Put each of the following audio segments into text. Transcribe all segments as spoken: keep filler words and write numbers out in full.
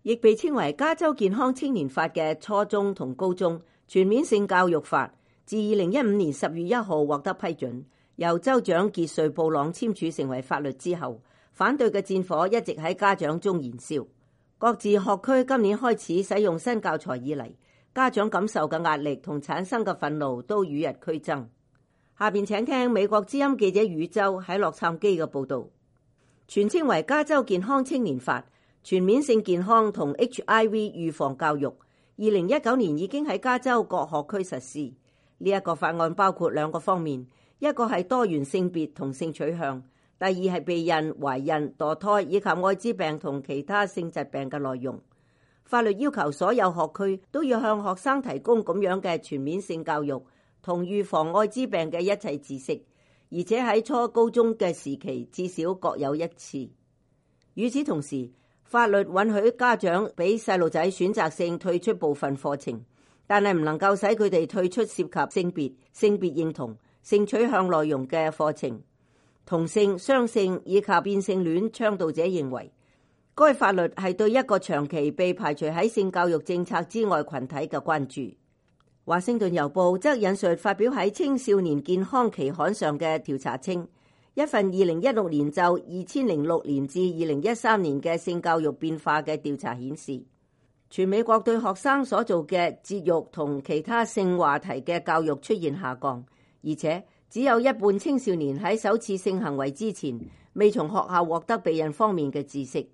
亦被稱為加州健康青年法嘅初中同高中全面性教育法，自二零一五年十月一號獲得批准，由州長傑瑞布朗簽署成為法律之後，反對嘅戰火一直喺家長中燃燒。各自學區今年開始使用新教材以嚟，家長感受嘅壓力同產生嘅憤怒都與日俱增。下邊請聽美國之音記者宇宙喺洛杉磯嘅報導。全稱為加州健康青年法，全面性健康同 H I V 預防教育，二零一九年已經喺加州各學區實施。呢一個法案包括兩個方面，一個係多元性別同性取向，第二係避孕、懷孕、墮胎以及愛滋病同其他性疾病嘅內容。法律要求所有學區都要向學生提供咁樣嘅全面性教育同預防愛滋病嘅一切知識，而且喺初高中嘅時期至少各有一次。與此同時，法律允許家長俾細路仔選擇性退出部分課程，但係唔能夠使佢哋退出涉及性別、性別認同、性取向內容嘅課程。同性、雙性以及變性戀倡導者認為，該法律係對一個長期被排除喺性教育政策之外群體嘅關注。華盛頓郵報則引述發表喺青少年健康期刊上嘅調查稱，一份二零一六年就二千零六年至二零一三年嘅性教育變化嘅調查顯示，全美國對學生所做嘅節育同其他性話題嘅教育出現下降，而且只有一半青少年喺首次性行為之前未從學校獲得避孕方面嘅知識。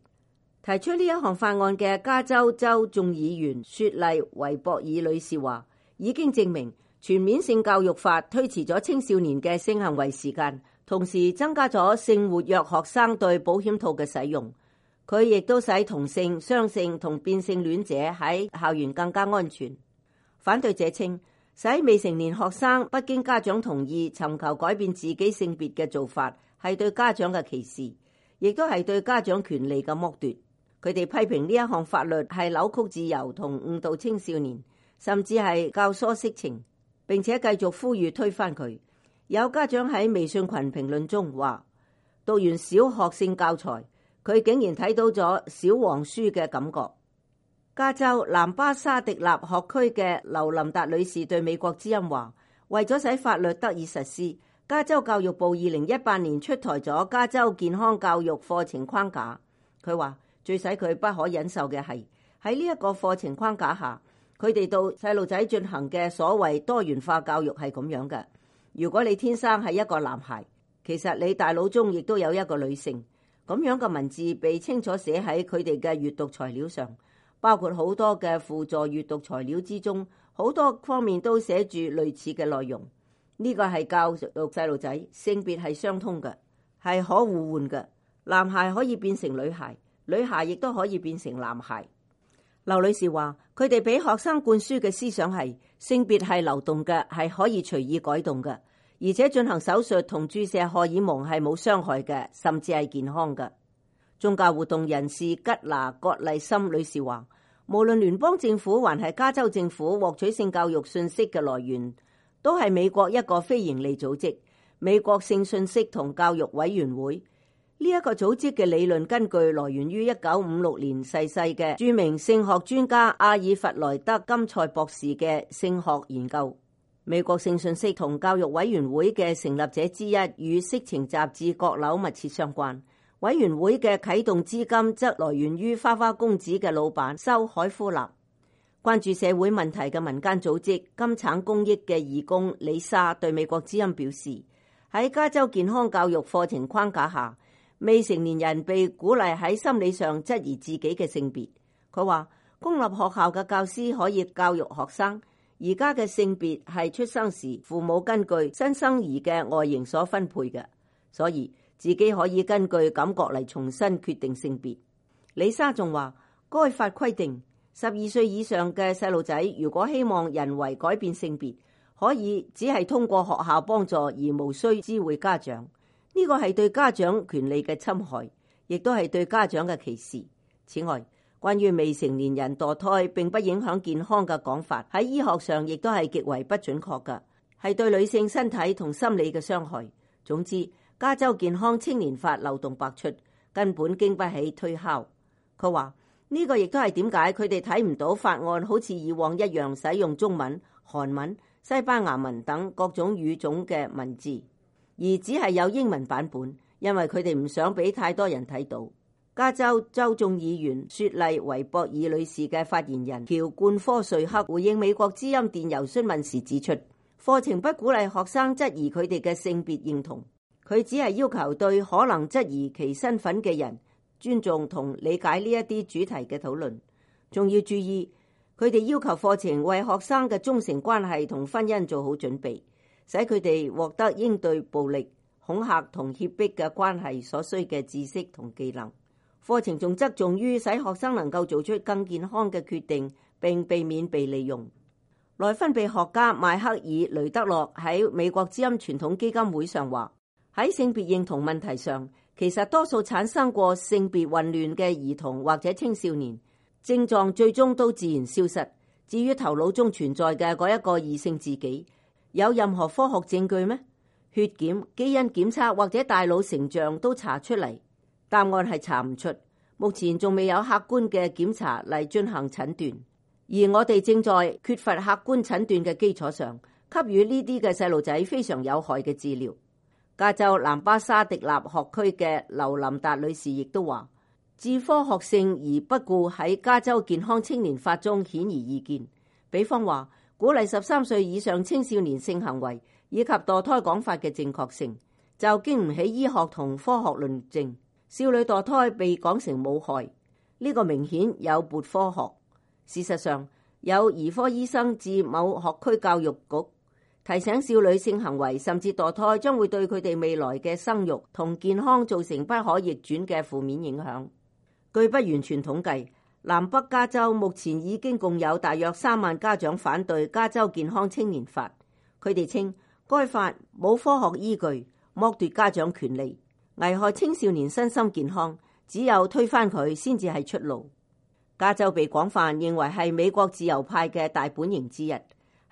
提出呢一項法案嘅加州州眾議員雪莉維博爾女士話，已經證明全面性教育法推遲咗青少年嘅性行為時間，同時增加咗性活躍學生對保險套嘅使用。佢亦都使同性、雙性同變性戀者喺校園更加安全。反對者稱，使未成年學生不經家長同意尋求改變自己性別嘅做法，係對家長嘅歧視，亦都係對家長權利嘅剝奪。佢哋批評呢一項法律係扭曲自由同誤導青少年，甚至係教唆色情，並且繼續呼籲推翻佢。有家長喺微信群評論中話，讀完小學性教材，佢竟然睇到咗小黃書嘅感覺。加州南巴沙迪納學區嘅劉琳達女士對美國之音話，為咗使法律得以實施，加州教育部二零一八年出台咗加州健康教育課程框架。佢話最使佢不可忍受嘅係喺呢一個課程框架下，佢哋到細路仔進行嘅所謂多元化教育係咁樣嘅。如果你天生係一個男孩，其實你大腦中亦都有一個女性。咁樣嘅文字被清楚寫喺佢哋嘅閱讀材料上，包括好多嘅輔助閱讀材料之中，好多方面都寫住類似嘅內容。呢個係教育細路仔性別係相通嘅，係可互換嘅。男孩可以變成女孩，女孩亦都可以變成男孩。劉女士話，佢哋俾學生灌輸嘅思想係性別係流動嘅，係可以隨意改動嘅。而且進行手術同注射荷爾蒙係冇傷害嘅，甚至係健康嘅。宗教活動人士吉娜葛麗森女士話，無論聯邦政府還係加州政府獲取性教育信息嘅來源，都係美國一個非營利組織——美國性信息同教育委員會。呢、這、一個組織嘅理論根據來源於一九五六年逝世嘅著名性學專家阿爾弗萊德金賽博士嘅性學研究。美國性信息同教育委員會嘅成立者之一與色情雜誌閣樓密切相關。委員會嘅啟動資金則來源於花花公子嘅老闆修海夫納。關注社會問題嘅民間組織金橙公益嘅義工李莎對美國之音表示，喺加州健康教育課程框架下，未成年人被鼓勵喺心理上質疑自己嘅性別。佢話，公立學校嘅教師可以教育學生，而家嘅性別係出生時父母根據新生兒嘅外形所分配嘅，所以自己可以根據感覺嚟重新決定性別。李莎仲話，該法規定十二歲以上嘅細路仔如果希望人為改變性別，可以只係通過學校幫助而無需知會家長。呢個係對家長權利嘅侵害，亦都係對家長嘅歧視。此外，關於未成年人墮胎並不影響健康嘅講法，喺醫學上亦都係極為不準確嘅，係對女性身體同心理嘅傷害。總之，加州健康青年法漏洞百出，根本經不起推敲。佢話呢個亦都係點解佢哋睇唔到法案好似以往一樣使用中文、韓文、西班牙文等各種語種嘅文字，而只係有英文版本，因為佢哋唔想俾太多人睇到。加州州眾議員雪莉維博爾女士嘅發言人喬冠科瑞克回應美國之音電郵詢問時指出，課程不鼓勵學生質疑佢哋嘅性別認同，佢只係要求對可能質疑其身份嘅人尊重同理解呢一啲主題嘅討論，仲要注意佢哋要求課程為學生嘅忠誠關係同婚姻做好準備，使佢哋獲得應對暴力、恐嚇同脅迫嘅關係所需嘅知識同技能。課程仲側重於使學生能夠做出更健康嘅決定，並避免被利用。內分泌學家邁克爾雷德洛喺美國之音傳統基金會上話，喺性別認同問題上，其實多數產生過性別混亂嘅兒童或者青少年，症狀最終都自然消失。至於頭腦中存在嘅嗰一個異性自己，有任何科學證據咩？血檢、基因檢測或者大腦成像都查出嚟？答案係查唔出，目前仲未有客觀嘅檢查嚟進行診斷，而我哋正在缺乏客觀診斷嘅基礎上，給予呢啲嘅細路仔非常有害嘅治療。加州南巴沙迪納學區嘅劉琳達女士亦都話，置科學性而不顧喺加州健康青年法中顯而易見，比方話鼓勵十三歲以上青少年性行為以及墮胎講法嘅正確性，就經唔起醫學同科學論證。少女墮胎被講成冇害，呢個明顯有悖科學。事實上，有兒科醫生至某學區教育局提醒少女性行為甚至墮胎將會對佢哋未來嘅生育同健康造成不可逆轉嘅負面影響。據不完全統計，南北加州目前已經共有大約三萬家長反對加州健康青年法，佢哋稱該法冇科學依據，剝奪家長權利，危害青少年身心健康，只有推翻佢先至係出路。加州被廣泛認為係美國自由派嘅大本營之一，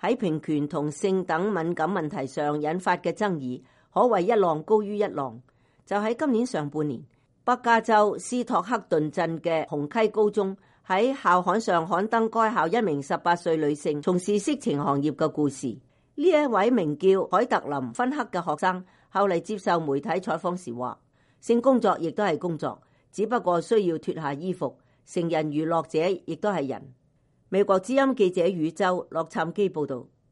喺平權同性等敏感問題上引發嘅爭議，可謂一浪高於一浪。就喺今年上半年，北加州斯托克頓鎮嘅紅溪高中喺校刊上刊登該校一名十八歲女性從事色情行業嘅故事。呢一位名叫海特林芬克嘅學生，後嚟接受媒體採訪時話，性工作亦都係工作，只不過需要脫下衣服。成人娛樂者亦都係人。美國之音記者宇宙洛杉磯報道。